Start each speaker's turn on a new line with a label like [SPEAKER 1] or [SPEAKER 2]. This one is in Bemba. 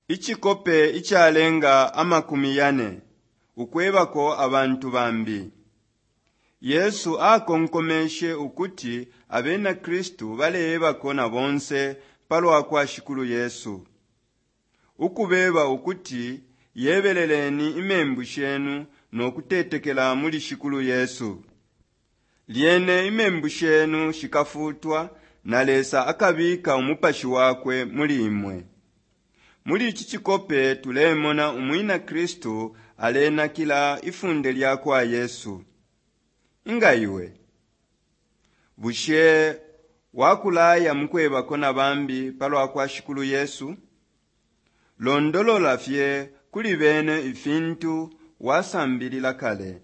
[SPEAKER 1] Icikope icalenga 40 Ukwebako abantu bambi. Yesu akonkomeshe ukuti abena Kristu baleebako na bonse palwa kwa Shikulu Yesu. Ukubeba ukuti yebeleleni imembu shenu no kutetekela muli Shikulu Yesu. Lyene imembu shenu shikafutwa na Lesa akabika umupashi wakwe muli imwe. Muli ici cikope tulemona umwina Kristu alenakila ifunde lya kwa Yesu. Inga iwe? Bushe wakulaya mukwebako na bambi palwa kwa Shikulu Yesu? Londolola fye kuli bene ifintu wasambilila kale.